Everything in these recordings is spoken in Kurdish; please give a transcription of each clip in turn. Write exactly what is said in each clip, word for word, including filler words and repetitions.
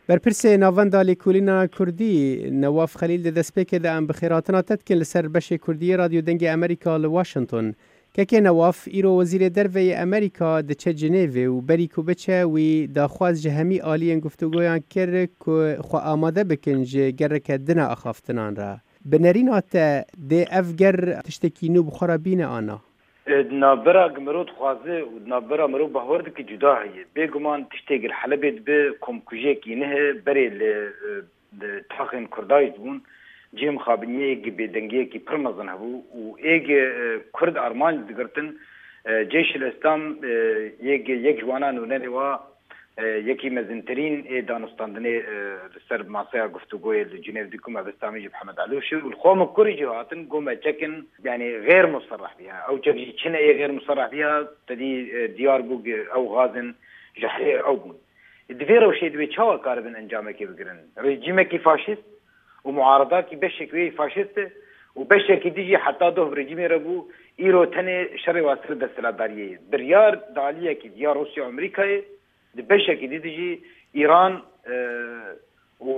Berpirsê Navenda Lêkolîna Kurdî, Newaf Xelîl, di destpêkê de em bi xêrhatina te dikin li ser beşê Kurdî yê Radyo Dengê Amerîka li Washington. Kekê Newaf, îro Wezîrê Derve yê Amerîka diçe Cinêvê û berî ku biçe, wî daxwaz ji hemî aliyên guftûgoyan kir ku xwe amade bikin ji gereke din a axaftinan re. Bi nerîna te, dê ev ger tiştekî nû bi xwe re bîne an na? E, di navbera ku mirov dixwaze û di navbera mirov bawer dike cuda heye. Bêguman tiştê ku li Helebê dibe komkujiyekî nihe berê li, e, di taxên Kurda jî dibûn. Cihê mixabiniyê yek bêdengiyekî pir mezin hebû û ê ku, e, Kurd armanc digirtin, e, Ceyşil Îslam, e, yek, yek ji wana nûnerê wa, e, yekî mezintirîn ê danûstandinê, e, li ser maseya guftûgoyê li Cinêv dî ku mebesta min jî bi Hemed Elûş e û li xwe min kurî jî hatin, got me çekin, yanî xêr muserreh bîya. Ew çek jî çine ê xêr muserreh bîya, te dî, e, diyar bû ku ew xazin ji herê ew bûn. Di vê rewşê divê çawa karibin encamekê bigirin? Rejîmekî faşîst û muaredakî beşek wê faşîst e û beşekî dî jî heta doh bi rejîmê re bû, îro tenê şerê wa ser desthilatdariyê ye. Biryar di aliyekî ya Rûsya û Amerîkayê, di beşekî dî de jî Îran, e, û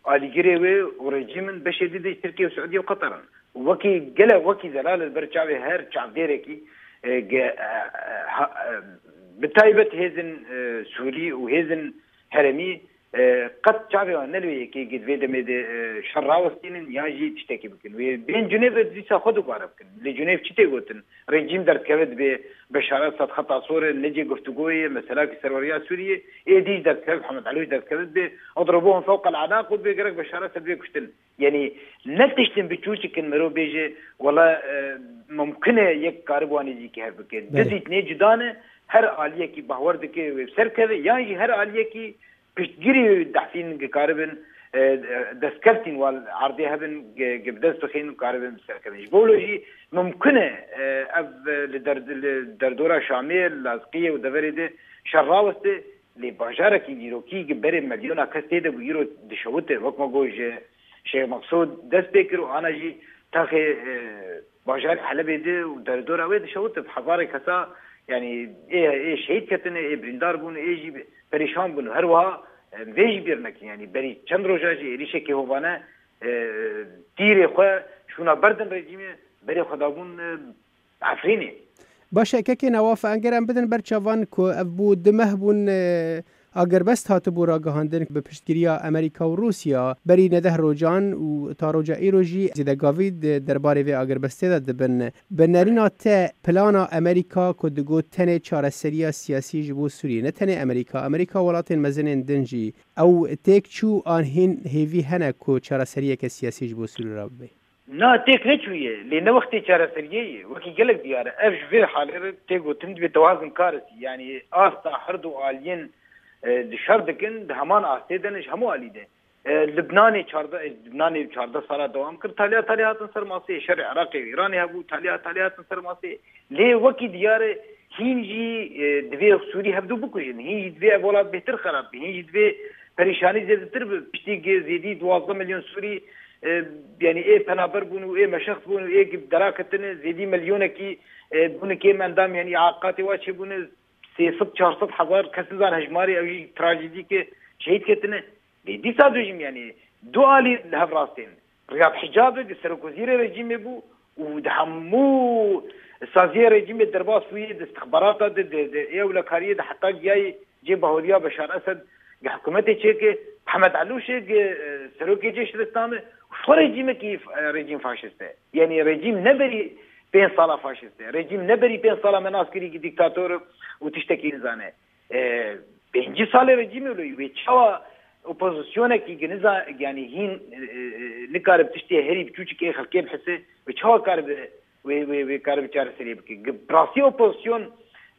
alîgirê wê û rejîm in, beşê dî de jî Tirkiye û Siûdiye û Qeter in. Û wekî gele, wekî zelal li ber çavê her çavdêrekî, e, ge-, e, e, ha, e, bi taybet hêzin, e, Sûrî û hêzin herêmî, e, qet çavê wan ne li wê yekê, ge di vê demê de, e, şer rawestînin yan jî tiştekî bikin. Wê bên Cinêv dîsa xwe dubare bikin. Li Cinêv çi tê gotin? Rejîm derdikeve dibê Beşar Esad xeta sor e, necê guftûgoyê, mesela ki serweriya Sûriyê, ê dî jî derdikeve, Mihemed Elûş derdikeve dibê, اضربوهم فوق الأعناق û dibê gerek Beşar Esad bê kuştin. Yanî ne tiştin biçûçik in mirov bêje, wela, e, mumkin e yek karib wan êzîkî hev bike. Belê. Di dîtinê cuda ne, her aliyekî bawer dike wê bi ser keve, yan jî her aliyekî piştgirî dehfîn ki karibin, e, destkeftîn wal erdê hebin, ki, ki bi dest bixin û karibin bi ser kevin. Ji bo wilo jî mumkin e, e, ev, e, li der-, li derdora Şamê, Lazqiyê û deverê de şer raweste, lê bajarekî dîrokî ki berê milyona kes tê de bû, îro dişewite, wek me got ji Şêx Meqsûd dest pê kir û ana jî taxê, e, bajarê Helebê de û derdora wê dişewite bi hezarê kesa, yanî ê, ê şehîd ketine, ê birîndar bûn, ê jî perîşan bûn. Her wiha, e, vê jî bîr nekin, yanî berî çend roja jî êrîşekî hovane, e, tîrê xwe şûna berdin rejîmê, berê xwe dabûn, e, Efrînê. Baş e, kekê Newaf, enger em bidin ber çavan ku ev bû du meh bûn, e, agirbest hatibû ragihandin bi piştgiriya Amerîka û Rûsya. Berî neh rojan û ta roja îro jî zêdegavî di derbarê vê agirbestê de dibin. Bi nerîna te, plana Amerîka ku digot tenê çareseriya siyasî ji bo Sûriyê, ne tenê Amerîka, Amerîka welatên mezinên din jî, ew têk çû an hîn hêvî hene ku çareseriyeke siyasî ji bo Sûrî re bibe? Na, têk neçûye, lê ne wextê çareseriyê ye. Wekî gelek diyar e, ev ji vê halê re tê gotin dibê tewazin karesî. Yanî asta her du aliyên, e, di şer dikin, di heman astê de ne ji hemû alî de. E, Libnanê çardeh, e, Libnanê çardeh sala dewam kir, taliya taliya hatin ser masê, şerê Iraqê û Îranê hebû, taliya taliya hatin ser masê. Lê wekî diyar e, hîn jî, e, divê Sûrî hevdu bikujin, hîn jî divê ev welat bêhtir xerab be, hîn jî divê perîşanî zêdetir be. Piştî ki zêdî duwazdeh milyon Sûrî, e, yanî ê penaber bûn û ê meşext bûn û ê ki dera ketine, zêdî milyonekî, e, bûne kêm endam, yanî aqatê wa çêbûne, sê sed çar sed hezar kes nizan hejmarê, ew jî trajedî ke şehîd ketine. Lê dîsa dû jî, yanî du alî li hev rastên. Riyad Hicabê, serokwezîrê rejîmê bû û di hemû saziyê rejîmê derbas bûyê, di istixbarata de, di, di ewlekariyê de heta giyayê cê bahuriya Beşar Esed, di hikûmetê çêke, Mihemed Elûşê, e, serokê cêşê Îslamê, xwe rejîmekî, e, rejîm faşîst e. Yanî rejîm ne berî pênc sala faşîst e. Rejîm ne berî pênc sala me nas kirî ki dîktator û tiştekî nizane. E, pêncî salê rejîmê wilo wê çawa opozisyonekî ki niza-, yanî hîn, e, e, nikare bi tiştê herî biçûçikê xelkê bihise, wê çawa karibe, wê, wê, wê karibe çareseriyê bike? Gi-, bi rastî opozisyon,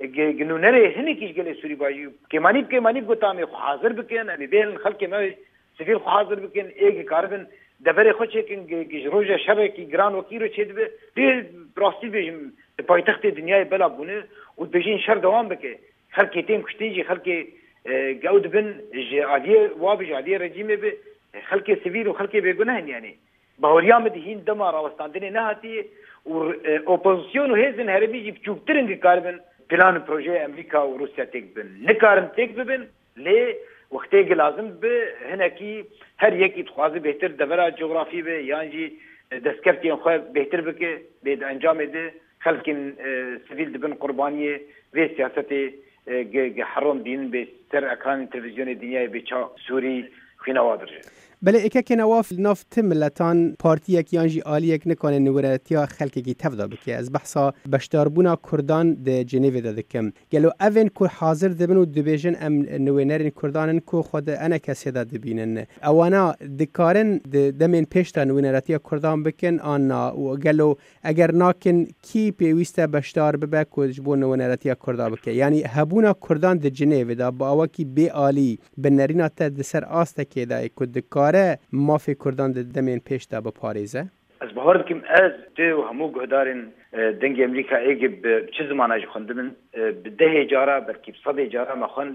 e, gi-, gi nûnerê hinekî ji gelê Sûrî bajî, kêmanî bi kêmanî bi gotan em ê xwe hazir bikin, em ê bêhêlin xelkê me sivîl xwe hazir bikin, ê ki karibin deverê xwe çêkin, ki, ki ji roja şerekî giran wekî îro çêdibe, lê bi rastî dibêjim, di paytextê dinyayê bela bûne û dibêjin şer dewam bike. Xelkê tên kuştin jî, xelkê, e, ew dibin ji aliyê wa bi, ji aliyê rejîmê bi, e, xelkê sivîl û xelkê bêguneh in, yanî. Baweriya min di hîn dema rawestandinê nehatiye û, e, opozisyon û hêzên herêmî jî biçûktir in ki karibin plan û projeyê Amerîka û Rûsya têk bibin. Nikarin têk bibin, lê Wextê ki lazim bi hinekî her yekî dixwaze bêhtir devera cografî be yan jî destkeftiyên xwe bêhtir bike, lê di encamê de xelkên, e, sivîl dibin qurbaniyê vê siyasetê, e, ge, ge heron dînin bê ser ekranên televîzyonê dinyayê bê ça Sûrî xwîna wa dirije. Belê êkekê newaf li nav ti miletan partiyek yan jî aliyek nikane nûneretiya xelkekî tevda bike. Ez behsa beşdarbûna Kurdan di Cenêvê de dikim. Gelo evên ku hazir dibin û dibêjin em nûnerên Kurdan in ku xwe di E N K S'ê de dibînin, ewana dikarin di demên pêş de nûneretiya Kurdan bikin an na? Û gelo eger nakin, kî pêwîst e beşdar bibe ku ji bo nûneretiya Kurda bike? Yanî hebûna Kurdan di Cinêvê de bi awakî bê alî bi nerîna te di ser astekê de ye ku dikare mafê Kurdan di demên pêş de biparêze? Ez bawer dikim, ez, tu û hemû guhdarên, e, Dengê Amerîka êgê bi çi zimana jî xwendibin, e, bi dehê cara, belkî bi sedê cara me xwend,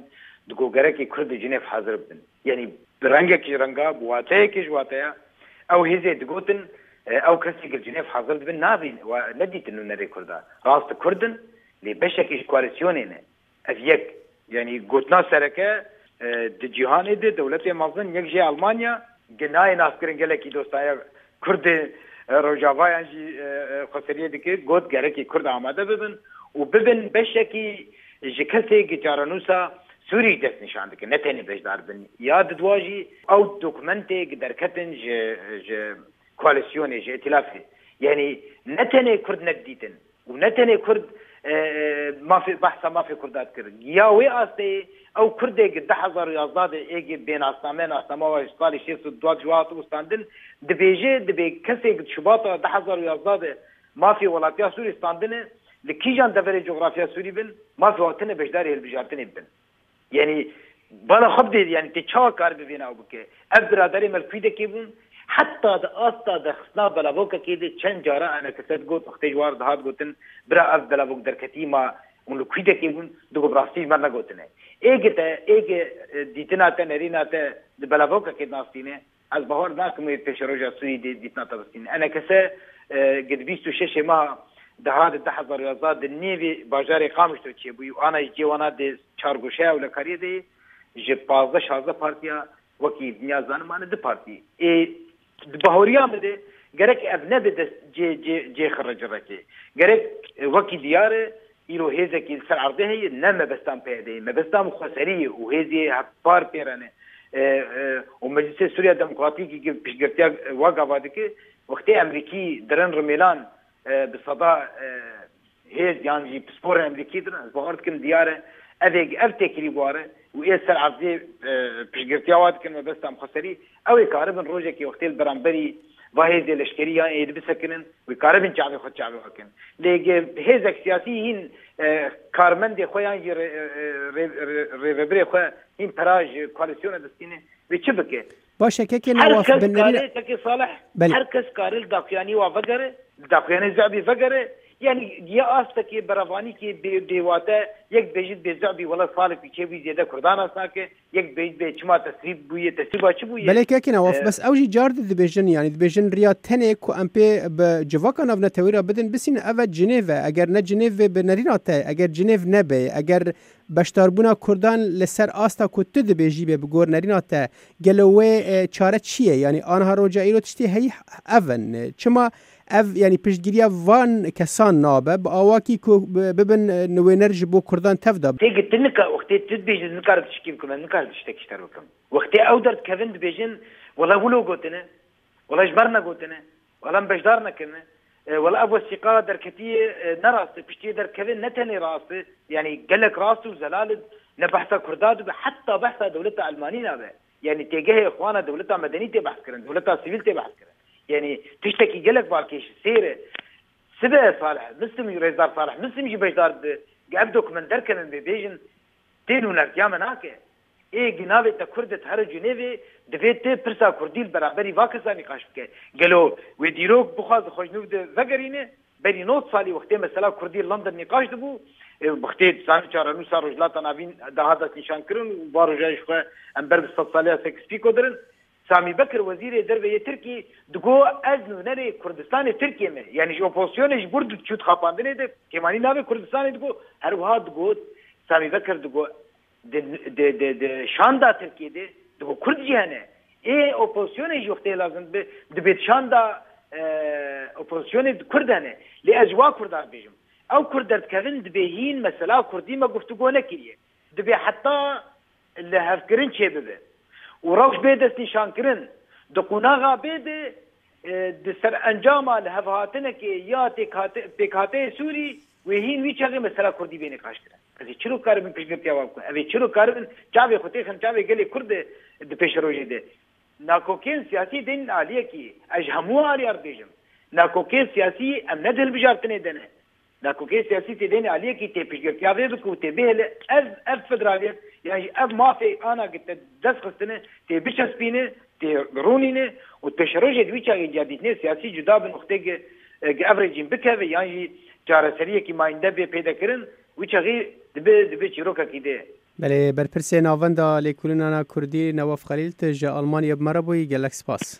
digo gerekê Kurd di Cinêv hazir bibin. Yanî bi rengekî ji renga, bi wateyekî ji wateya, ew hêzê digotin, e, ew kesê ki li Cinêv hazir dibin, nabîn, wa nedîtin nûnerê Kurda. Rast Kurd in, lê beşekî ji koalîsyonê ne. Ev yek, yanî gotina sereke, e, di cîhanê de dewletê mezin, yek jê Almanya, gi nayê naskirin gelekî dostaya Kurdê, e, Rojava yan jî, e, e, xweseriyê dike, got gerekê Kurd amade bibin û bibin beşekî ji kesê gi çarenûsa Sûrî dest nîşan dike, ne tenê beşdar bin. Ya didwa jî ew dokumentê gi derketin ji, ji koalîsyonê, ji îtîlafê. Yanî ne tenê Kurd nedîtin, û ne tenê Kurd, e, e, mafê, behsa mafê Kurda dikir. Ya wê asteyê, ew Kurdê gi du hezar û yazdeh de êgê bê nasname, nasnama wa ji salê şêst û du ji we hatibû standin, dibêje, dibê kesê gi Şubata du hezar û yazdeh de mafê welatiya Sûrî standine, li kîjan deverê cografya Sûrî bin, mafê wa tine beşdarê hilbijartinê bibin. Yanî bala xwe bidê, yanî tê çawa karibe vêna ew bike? Ev biraderê me li Kwîdekê bûn, heta di asta derxistina belavokekê de çend cara E N K S digot, wextê ji wan re dihat gotin, bira ev belavok derketî ma hûn li Kwîdekê bûn, digot bi rastî ji me re negotine. Êgê te, êgê, e, dîtina te, nerîna te di belavokekê de nastîne, ez bawer nakim wê pêşeroja Sûrî dê dîtina te bistîne. E N K S, e, gi di bîst û şeşê meha deha di du hezar û yazdeh di nêvê bajarê Qamişlo çêbûyî û ana ji cê wana dê çargoşeya ewlekariyê de yê, ji pazdeh şazdeh partiya wekî dinya zanin mane du partî. Ê, di bahoriya min de gerek ev nebe dest cê, cê, cê xirecirekê. Gerek, e, wekî diyar e, îro hêzekî li ser erdê heye, ne mebestan P Y D'yê, mebestan xweserî ye û hêzê hevpar pê re ne. E, e, û Meclisê Sûriya Demokratîkî ki piştgirtiya wa gava dike, wextê Emerîkî dirin rimêlan, e, bi seda, e, hêz yan jî pisporên Emerîkî dirin, ez bawer dikim diyar e, ev ê, ev têkilî bi war e û ê ser erdê, e, piştgirtiya wa dikin mebestan xweserî, ew ê karibin rojekê wextê li beramberî va hêzê leşkerî yan êdî bisekinin, wê karibin çavê xwe çavê xwe kin. Lê ge hêzek siyasî hîn, e, karmendê xwe yan jî rê-, e, e, rê-, rê-, rêvebirê xwe hîn pera ji koalîsyona distîne, wê çi bike? Baş e, kekê Her Newaf, kes bi nerî- karê, kekê Salih, Belê. Her kes karê li daxuyanî wa vegere, li daxuyanê zebî vegere. Yanî giya astekê berevanîkê bê, bêwate, yek bêjit bê zebî wela salek wî çêbûyî zêde Kurdan nas nake, yek bêjit bê çima tesrîb bûye, tesrîba çi bûye? Belê kekê Newaf, E, bes ew jî car di dibêjin, yanî dibêjin riya tenê ku em pê bi civaka navnetewî re bidin, bisînin ev e Cinêv e. Eger ne Cinêv vê bi nerîna te, eger Cinêv nebe, eger beşdarbûna Kurdan li ser asta ku tu dibêjî bê bi gor nerîna te, gelo wê, e, çare çi ye? Yanî aniha roja îro tiştê heyî ev in. Çima ev, yanî piştgiriya van kesan nabe, bi awakî ku bi-, bibin, e, nûner ji bo Kurdan tevda? Tê gitin nika, wextê tu dibêjî nikare tişkî bikim, nikare tiştekî ji te re bikim. Wextê ew derdikevin dibêjin, wela wilo gotine, wela ji me re negotine, wela em beşdar nekirine. E, wela ev wesîqa derketiye, e, ne rast e. Piştiyê derkeve ne tenê rast e. Yanî gelek rast û zelal e. Ne behsa Kurda dibe, heta behsa dewleta Elmanî nabe. Yanî têgehê xwana dewleta medenî tê behs kirin, dewleta sivîl tê behs kirin. Yanî tiştekî gelek balkêş e, sêr e. Sibe Salih, Mislim jî, Rêzdar Salih Mislim jî beşdar dibe. Ev dokument derkevin bê bêjin, tê nûnertiya me nake. Ê ginavê te Kurd e, tu here Cinêvê, divê tu pirsa Kurdî li beraberî va kesa nîqaş bike. Gelo wê dîrok bixwaze xwe ji nû de vegerîne? Berî nod salî wextê mesela Kurdî li London nîqaş dibû, e, wextê dizanî çarenûsa Rojhilata Navîn daha destnîşan kirin û va roja ji xwe em ber bi sedsaliya Sykes-Picot dirin. Samî Bekir, wezîrê derve yê Tirkî, digo, ez nûnerê Kurdistanê Tirkiyê me. Yanî ji opozisyonê ji bo diçû di xapandinê de kêmanî navê Kurdistanê digo. Her wiha digot, Samî Bekir digo, Di, di, di, di şanda Tirkiyê de di bo Kurd jî hene. Ê opozisyonê jî wextê lazim bi, dibê di şanda, e, opozisyonê di Kurd hene. Lê ez ji wa Kurdan dibêjim. Ew Kurd derdikevin dibê hîn mesela Kurdî me guftûgo nekiriye. Dibê heta lihevkirin çêbibe. Û rewş bê destnîşankirin. Di qonaxa bê de, e, di ser encama lihevhatinekê ya têkhate-, pêkhateyê Sûrî wê hîn wî çaxê mesela Kurdî bê nîqaşkirin. Ez ê çiro karibin piştgirtiya wan bikim? Ev ê çiro karibin çavê xwe têxin çavê gelê Kurd de di pêşerojê de? Nakokên siyasî dênin aliyekî, ez ji hemû aliyar dibêjim. Nakokên siyasî em ne di hilbijartinê de ne. Nakokên siyasî tê dêne aliyekî tê piştgirtiya vê bike û tê bihêle ev, ev federaliyet, yan jî ev mafê ana ki te dest xistine, tê biçespîne, tê rûnîne û pêşerojê di wî çaxê ciyadîtinê siyasî cuda bi noxtê ki, e, ki ev rejîm bikeve yan jî çareseriyekî mayînde bê pêde kirin, wî çaxê dibe, dibe çîrokekî dê. Belê, berpirsê Navenda Lêkolînana Kurdî Newaf Xelîl, tu ji Almanya bi me re bûyî, gelek spas.